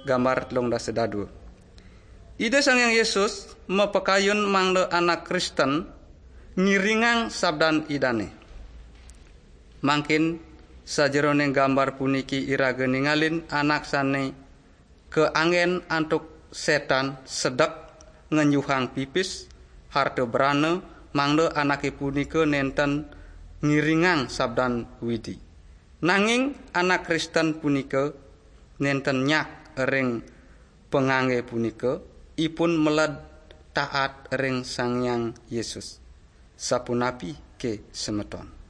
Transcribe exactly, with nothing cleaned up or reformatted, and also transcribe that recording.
Gambar telung dasa dadu. Ida Sang Hyang Yesus mapakayun mangda anak Kristen ngiringang sabdan Idane. Mangkin sajeroning gambar puniki iraga ningalin anak sane kaanggen antuk setan sedek ngenjuhang pipis, harta brana, mangda anake punika nenten ngiringang sabdan Widi. Nanging anak Kristen punika nenten nyak ring pangangge punika, ipun meled taat ring Sang Hyang Yesus. Sapunapi ke semeton?